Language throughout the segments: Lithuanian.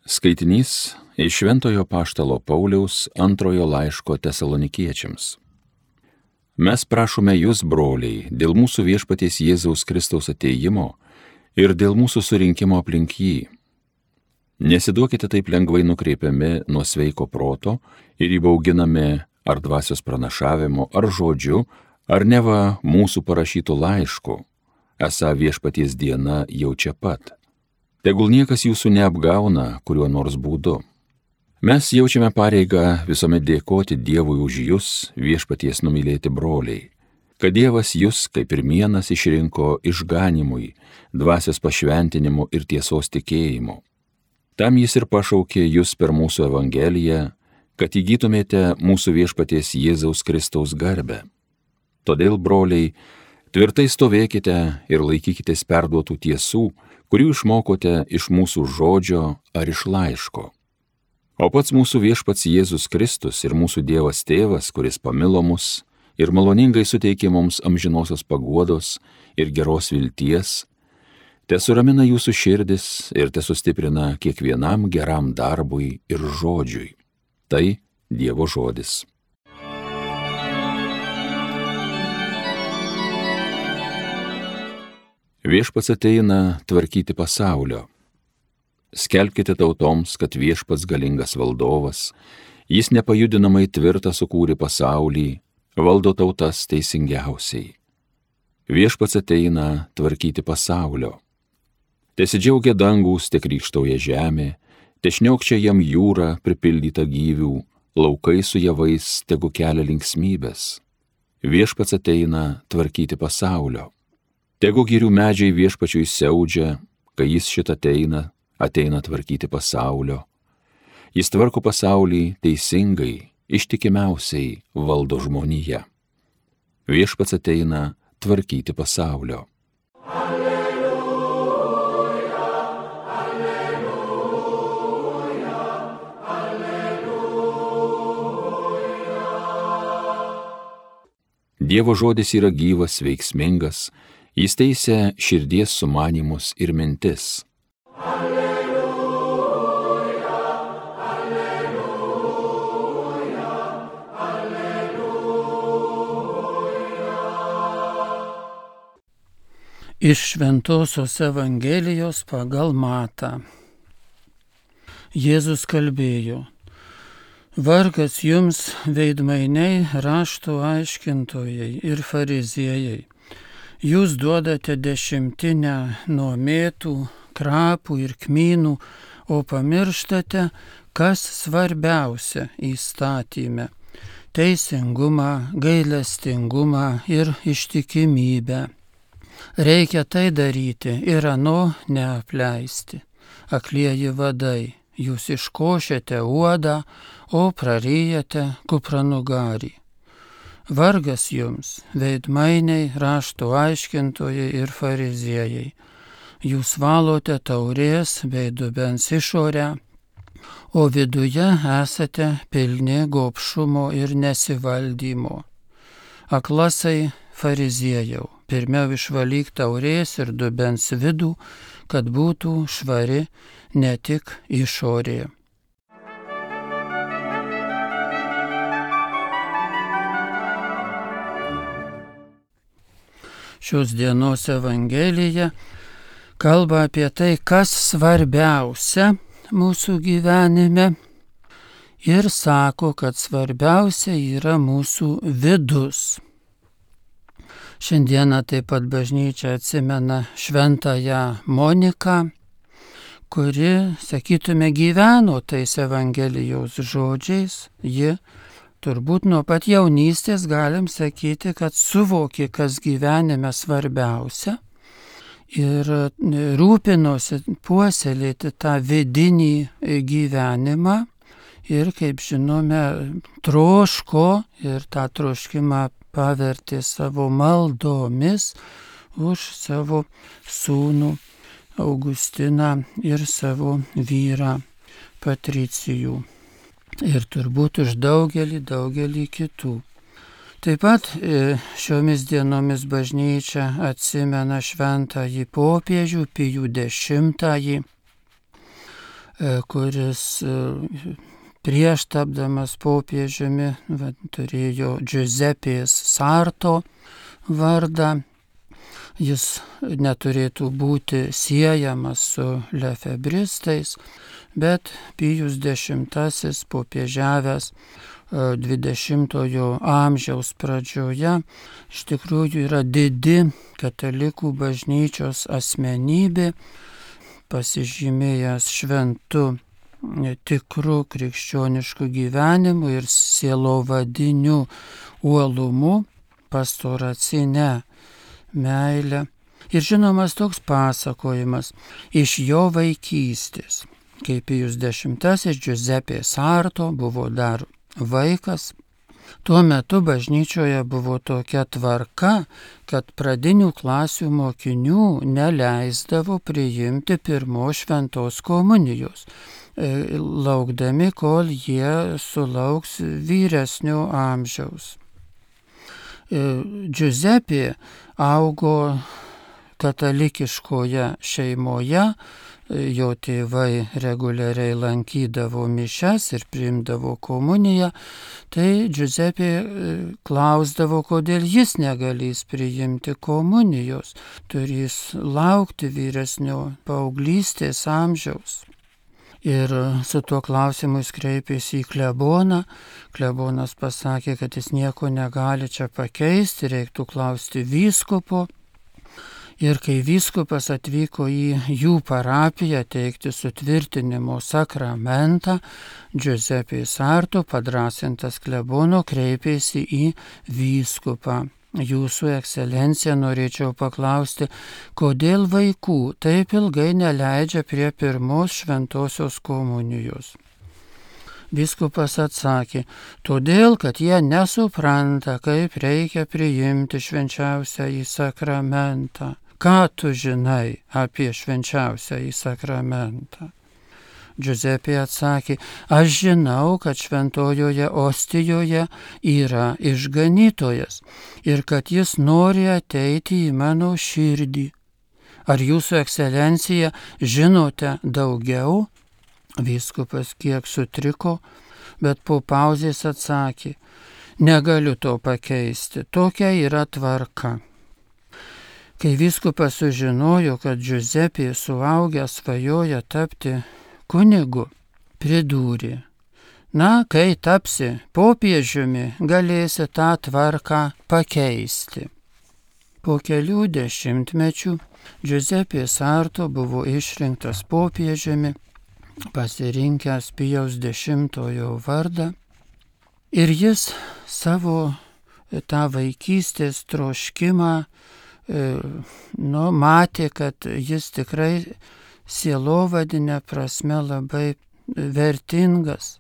Skaitinys iš Šventojo Apaštalo Pauliaus antrojo laiško Tesalonikiečiams. Mes prašome jūs, broliai, dėl mūsų viešpaties Jėzaus Kristaus atėjimo ir dėl mūsų surinkimo aplink jį. Nesiduokite taip lengvai nukreipiami nuo sveiko proto ir įbauginami ar dvasios pranašavimo, ar žodžiu, ar neva mūsų parašytų laiškų, esą viešpaties diena jau čia pat. Tegul niekas jūsų neapgauna kuriuo nors būdu. Mes jaučiame pareigą visuomet dėkoti Dievui už jūs, viešpaties numylėti broliai, kad Dievas jūs kaip ir vienas išrinko išganimui, dvasios pašventinimu ir tiesos tikėjimu. Tam jis ir pašaukė jūs per mūsų Evangeliją, kad įgytumėte mūsų viešpaties Jėzaus Kristaus garbę. Todėl, broliai, tvirtai stovėkite ir laikykitės perduotų tiesų, kurių išmokote iš mūsų žodžio ar iš laiško. O pats mūsų viešpats Jėzus Kristus ir mūsų Dievas Tėvas, kuris pamilo mus ir maloningai suteikė mums amžinosios paguodos ir geros vilties, tesuramina jūsų širdis ir tesustiprina kiekvienam geram darbui ir žodžiui. Tai Dievo žodis. Viešpats ateina tvarkyti pasaulio. Skelbkite tautoms, kad viešpats galingas valdovas, jis nepajudinamai tvirtą sukūrė pasaulį, valdo tautas teisingiausiai. Viešpats ateina tvarkyti pasaulio. Tesidžiaugia dangūs, te krykštauja žemė, te šniokčia jam jūra pripildyta gyvių, laukai su javais tegu kelia linksmybės. Viešpats ateina tvarkyti pasaulio. Tegu girių medžiai viešpačiui siaudžia, kai jis šitą ateina tvarkyti pasaulio. Jis tvarko pasaulį teisingai, ištikimiausiai valdo žmoniją. Viešpats ateina tvarkyti pasaulio. Alleluja, alleluja, alleluja. Dievo žodis yra gyvas, veiksmingas, jis teisia širdies sumanymus ir mintis. Alleluja, alleluja, alleluja. Iš Šventosios Evangelijos pagal Matą. Jėzus kalbėjo: Vargas jums, veidmainiai, rašto aiškintojai ir fariziejai. Jūs duodate dešimtinę nuo mėtų, krapų ir kmynų, o pamirštate, kas svarbiausia įstatyme - teisingumą, gailestingumą ir ištikimybę. Reikia tai daryti ir ano neapleisti. Aklieji vadai, jūs iškošėte uodą, o praryjate kupranugarį. Vargas jums, veidmainiai, rašto aiškintojai ir fariziejai. Jūs valote taurės bei dubens išorę, o viduje esate pilni gobšumo ir nesivaldymo. Aklasai fariziejau, pirmiau išvalyk taurės ir dubens vidų, kad būtų švari ne tik išorė. Šios dienos Evangelija kalba apie tai, kas svarbiausia mūsų gyvenime, ir sako, kad svarbiausia yra mūsų vidus. Šiandieną taip pat bažnyčia atsimena šventąją Moniką, kuri, sakytume, gyveno tais Evangelijos žodžiais. Ji turbūt nuo pat jaunystės galim sakyti, kad suvokė, kas gyvenime svarbiausia, ir rūpinosi puoselėti tą vidinį gyvenimą ir, kaip žinome, troško ir tą troškimą pavertė savo maldomis už savo sūnų Augustiną ir savo vyrą Patricijų. Ir turbūt už daugelį kitų. Taip pat šiomis dienomis bažnyčia atsimena šventąjį popiežių Pijų X. kuris prieš tapdamas popiežiumi turėjo Giuseppės Sarto vardą. Jis neturėtų būti siejamas su lefebristais, bet Pijus X popiežiavęs 20-ojo amžiaus pradžioje iš tikrųjų yra didi katalikų bažnyčios asmenybė, pasižymėjęs šventu tikru krikščionišku gyvenimu ir sielovadiniu uolumu, pastoracine meilė. Ir žinomas toks pasakojimas iš jo vaikystės, kai Pijus X Giuseppe Sarto buvo dar vaikas. Tuo metu bažnyčioje buvo tokia tvarka, kad pradinių klasių mokinių neleisdavo priimti pirmos šventos komunijos, laukdami, kol jie sulauks vyresnio amžiaus. Giuseppe augo katalikiškoje šeimoje, jo tėvai reguliariai lankydavo mišias ir priimdavo komuniją, tai Giuseppe klausdavo, kodėl jis negalės priimti komunijos, turės laukti vyresnio paauglystės amžiaus. Ir su tuo klausimu jis kreipėsi į kleboną. Klebonas pasakė, kad jis nieko negali čia pakeisti, reiktų klausti vyskupo. Ir kai vyskupas atvyko į jų parapiją teikti sutvirtinimo sakramentą, Giuseppe Sarto, padrąsintas klebono, kreipėsi į vyskupą. Jūsų ekscelencija, norėčiau paklausti, kodėl vaikų taip ilgai neleidžia prie pirmos šventosios komunijos? Vyskupas atsakė, todėl, kad jie nesupranta, kaip reikia priimti švenčiausiąjį sakramentą. Ką tu žinai apie švenčiausiąjį sakramentą? Giuseppe atsakė, aš žinau, kad šventojoje ostijoje yra išganytojas ir kad jis nori ateiti į mano širdį. Ar jūsų ekscelencija žinote daugiau? Vyskupas kiek sutriko, bet po pauzės atsakė, negaliu to pakeisti, tokia yra tvarka. Kai vyskupas sužinojo, kad Giuseppe suaugęs svajoja tapti kunigu, pridūrė, na, kai tapsi popiežiumi, galėsi tą tvarką pakeisti. Po kelių dešimtmečių Giuseppe Sarto buvo išrinktas popiežiumi, pasirinkęs Pijaus X vardą, ir jis savo tą vaikystės troškimą matė, kad jis tikrai sielovadinė prasme labai vertingas.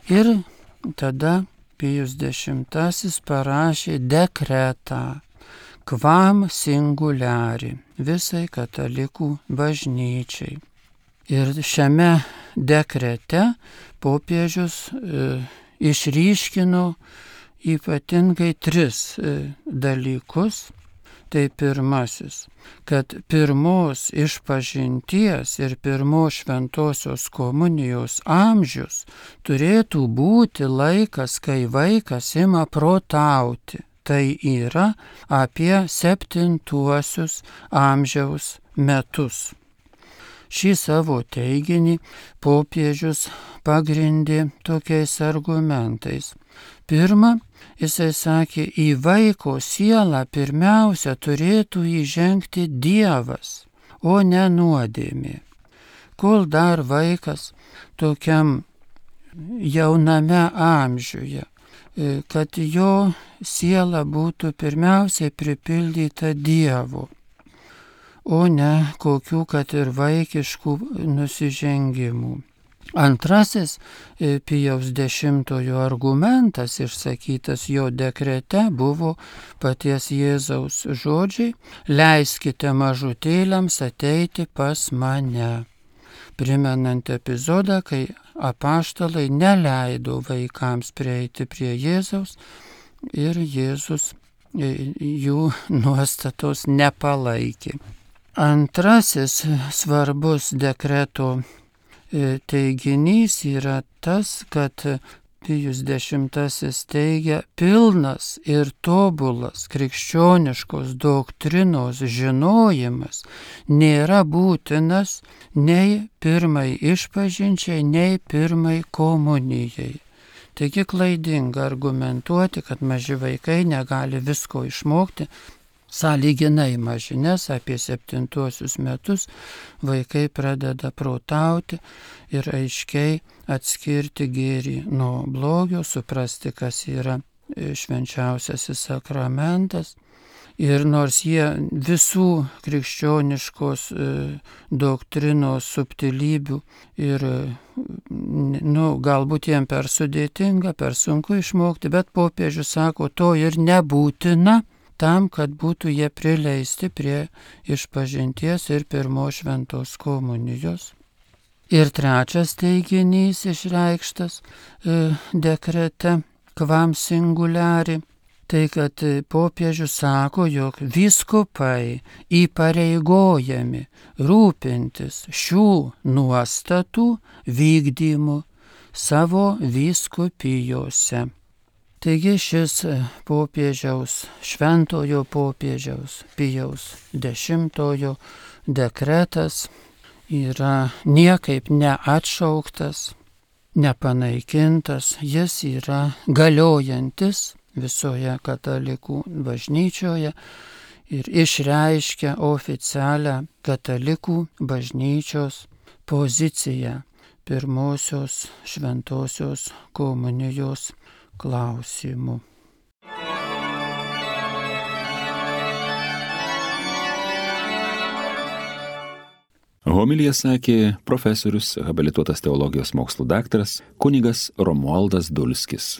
Ir tada Pijus X parašė dekretą Quam Singuliari visai katalikų bažnyčiai. Ir šiame dekrete popiežius išryškino ypatingai 3 dalykus. Tai pirmasis, kad pirmos išpažinties ir pirmos šventosios komunijos amžius turėtų būti laikas, kai vaikas ima protauti. Tai yra apie 7 amžiaus metus. Šį savo teiginį popiežius pagrindė tokiais argumentais. Pirma, jisai sakė, į vaiko sielą pirmiausia turėtų įžengti Dievas, o ne nuodėmė. Kol dar vaikas tokiam jauname amžiuje, kad jo siela būtų pirmiausiai pripildyta Dievu, o ne kokių kad ir vaikiškų nusižengimų. Antrasis Pijaus X argumentas išsakytas jo dekrete buvo paties Jėzaus žodžiai, leiskite mažutėliams ateiti pas mane, primenant epizodą, kai apaštalai neleido vaikams prieiti prie Jėzaus ir Jėzus jų nuostatos nepalaikė. Antrasis svarbus dekreto teiginys yra tas, kad Pijus X teigia, pilnas ir tobulas krikščioniškos doktrinos žinojimas nėra būtinas nei pirmai išpažinčiai, nei pirmai komunijai. Taigi klaidinga argumentuoti, kad maži vaikai negali visko išmokti. Sąlyginai maži, nes apie 7 metus vaikai pradeda protauti ir aiškiai atskirti gėrį nuo blogio, suprasti, kas yra švenčiausiasis sakramentas. Ir nors jie visų krikščioniškos doktrinos subtilybių ir galbūt jiem per sudėtinga, per sunku išmokti, bet popiežius sako, to ir nebūtina tam, kad būtų jie prileisti prie išpažinties ir pirmos šventos komunijos. Ir trečias teiginys išreikštas dekrete Quam Singuliari, tai kad popiežius sako, jog vyskupai įpareigojami rūpintis šių nuostatų vykdymu savo vyskupijose. Taigi šis popiežiaus, šventojo popiežiaus Pijaus X dekretas yra niekaip neatšauktas, nepanaikintas, jis yra galiojantis visoje katalikų bažnyčioje ir išreiškia oficialią katalikų bažnyčios poziciją pirmosios šventosios komunijos klausimų. Homiliją sakė profesorius, habilituotas teologijos mokslų daktaras kunigas Romualdas Dulskis.